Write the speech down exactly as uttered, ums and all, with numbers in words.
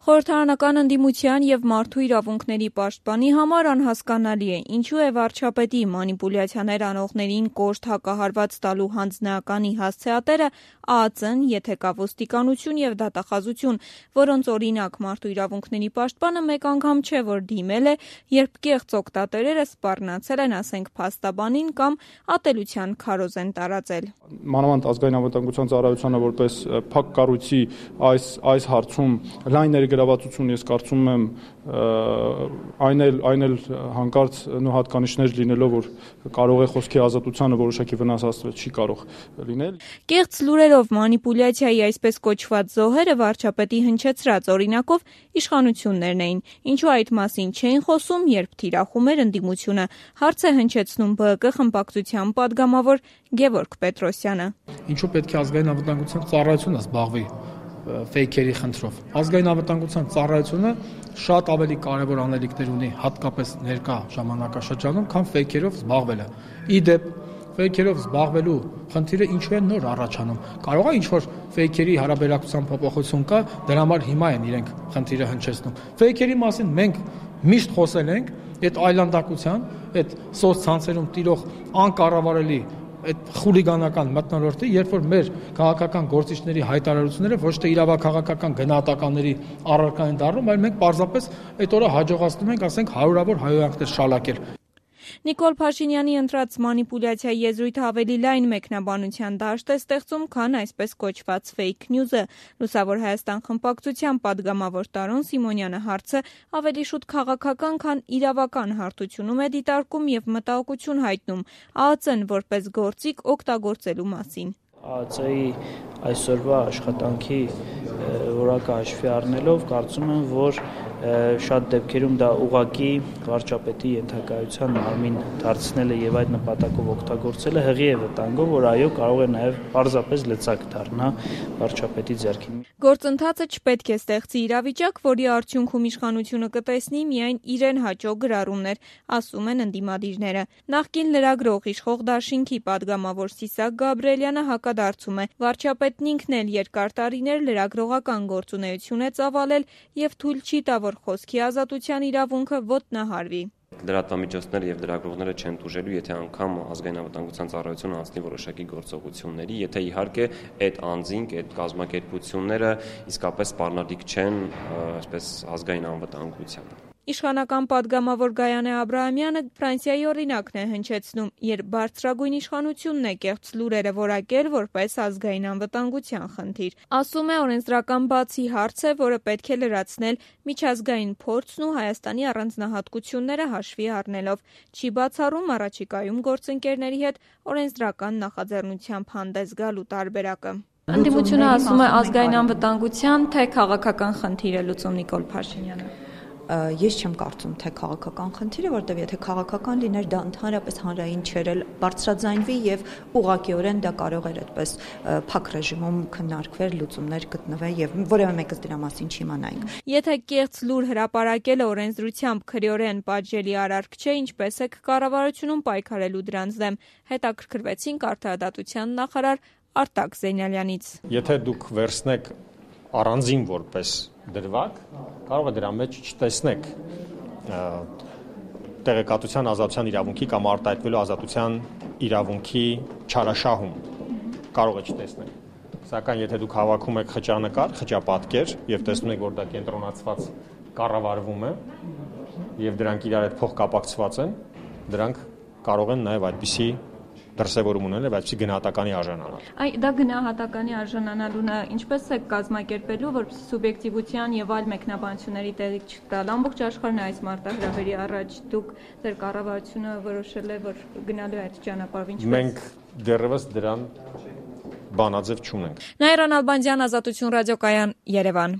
Խորհրդարանական ընդդիմության և մարդու իրավունքների պաշտպանի համար անհասկանալի է, ինչու է վարչապետի մանիպուլյացիաներ անողներին կոշտ հակահարված տալու հանձնեականի հասցեատերը ԱԱԾ-ն, եթե կա ոստիկանություն և դատախազություն, որոնց օրինակ մարդու իրավունքների պաշտպանը մեկ անգամ չէ, որ դիմել է, երբ կեղծ օգտատերերը սպառնացել են, ասենք, փաստաբանին կամ ատելության քարոզ են տարածել։ Մանավանդ ազգային անվտանգության ծառայությանը որպես փակ կառույցի այս այս հարցում լայն ներգրավվածություն ես կարծում եմ այն էլ այն էլ հանկարծ նո հատկանիշներ լինելով, որ կարող է խոսքի ազատությանը որոշակի վնաս հասցվել, չի կարող լինել։ Կեղծ լուրերով մանիպուլյացիայի այսպես կոչված զոհերը վարչապետի հնչեցրած օրինակով իշխանություններն էին, ինչու այդ մասին չէին խոսում, երբ թիրախում էր ընդդիմությունը, հարց է հնչեցնում ԲՀԿ խմբակցության պատգամավոր Գևորգ Պետրոսյանը։ Ինչու պետք է ազգային անվտանգության ծառայությունը զբաղվի ֆեյքերի խնդրով։ Ազգային անվտանգության ծառայությունը շատ ավելի կարևոր անելիքներ ունի, հատկապես ներկա ժամանակաշրջանում, քան ֆեյքերով զբաղվելը։ Իդեպ ֆեյքերով զբաղվելու խնդիրը ինչու է նոր առաջանում։ Կարող է ինչ-որ ֆեյքերի հարաբերակցության փոփոխություն կա, դրա համար հիմա են իրենք խնդիրը հնչեցնում։ Ֆեյքերի մասին մենք միշտ խոսել ենք, այդ այլանդակության, այդ սոցցանցերում տիրող անկառավարելի այդ խուլիգանական մթնոլորտի, երբ որ մեր քաղաքական գործիչների հայտարարությունները ոչ թե իրավաքաղաքական գնահատականների առարկա են դառնում, այլ մենք պարզապես այդ օրը հաջողացնում ենք, ասենք, հարյուրավոր հայհոյանքներ շալակել։ Նիկոլ Փաշինյանի ընտրած մանիպուլյացիայի եզրույթը ավելի լայն մեկնաբանության դաշտ է ստեղծում, քան այսպես կոչված ֆեյք նյուզը։ Լուսավոր Հայաստան խմբակցության պատգամավոր Տարոն Սիմոնյանը հարցը ավելի շուտ քաղաքական, քան իրավական հարթությունում է դիտարկում և մտահոգություն հայտնում ԱԱԾ-ն որպես գործիք օգտագործելու մասին։ ԱԱԾ-ի այսօրվա աշխատանքի որակը հաշվի առնելով կարծում եմ, որ շատ դեպքերում դա ուղղակի վարչապետի ենթակայության մարմին դարձնելը եւ այդ նպատակով օգտագործելը հղի է վտանգով, որ այո կարող է նաեւ պարզապես լծակ դառնա վարչապետի ձեռքին։ Գործընթացը չպետք է ստեղծի իրավիճակ, որի արդյունքում իշխանությունը կտեսնի միայն իրեն հաճո գրառումներ, ասում են ընդդիմադիրները։ Նախկին լրագրող իշխող դաշինքի պատգամավոր Սիսակ Գաբրիելյանը հակադարձում է. վարչապետն ինքն էլ երկար տարիներ լրագրողական գործունեություն է ծավալել եւ թույլ չի տա, որ խոսքի ազատության իրավունքը ոտնահարվի։ Լրատվամիջոցները եւ լրագրողները չեն տուժելու, եթե անգամ ազգային անվտանգության ծառայությունը անցնի որոշակի գործողությունների, եթե իհարկե այդ անձինք, այդ կազմակերպությունները իսկապես սպառնալիք չեն, այսպես ազգային անվտանգությանը։ Իշխանական պատգամավոր Գայանե Աբրահամյանը Ֆրանսիայի օրինակն է հնչեցնում, երբ բարձրագույն իշխանությունն է կեղծ լուրերը որակել որպես ազգային անվտանգության խնդիր։ Ասում է, օրենսդրական բացի հարց է, որը պետք է լրացնել միջազգային փորձն ու Հայաստանի առանձնահատկությունները հաշվի առնելով։ Չի բացառում առաջիկայում գործընկերների հետ օրենսդրական նախաձեռնությամբ հանդես գալու տարբերակը։ Ընդդիմությունը ասում է ազգային անվտանգության, թե քաղաքական խնդիր է լուծում Նիկոլ Փաշինյանը։ Ես չեմ կարծում, թե քաղաքական խնդիր է, որտեղ եթե քաղաքական լիներ, դա ընդհանրապես հանրային չէր, բարձրաձայնվի եւ ուղղակիորեն դա կարող էր այդպես փակ ռեժիմում քննարկվել, լուծումներ գտնվել եւ որևէ մեկը դրա մասին չիմանայինք։ Եթե կեղծ լուր հրապարակելը օրենսդրությամբ քրեորեն պատժելի արարք չէ, ինչպես է կառավարությունում պայքարելու դրանց դեմ, հետաքրքրվեցինք արդարադատության նախարար Արտակ Զեյնալյանից։ Եթե դուք վերցնեք առանձին որպես դրվագ, կարող է դրա մեջ չտեսնեք տեղեկատվության ազատության իրավունքի կամ արտահայտվելու ազատության իրավունքի չարաշահում, կարող է չտեսնեք։ Սակայն եթե դուք հավաքում եք խճանկար, խճապատկեր եւ տեսնում եք, որ դա կենտրոնացված կառավարվում է եւ դրանք իրար հետ փոխկապակցված են, դրանք կարող են նաեւ այդպիսի դրսևորում ունենալ եւ այդպիսի գնահատականի արժանանալ։ Այ դա գնահատականի արժանանալունը ինչպես է կազմակերպելու, որպեսզի սուբյեկտիվության եւ այլ մեկնաբանությունների տեղիք չտալ։ Ամբողջ աշխարհն այս մարտահրավերի առաջ դուք ձեր կառավարությունը որոշել է, որ գնալու է այդ ճանապարհով, ինչպես։ Մենք դեռևս դրան բանաձև չունենք։ Նաիրա Նալբանդյան, Ազատություն ռադիոկայան, Երևան։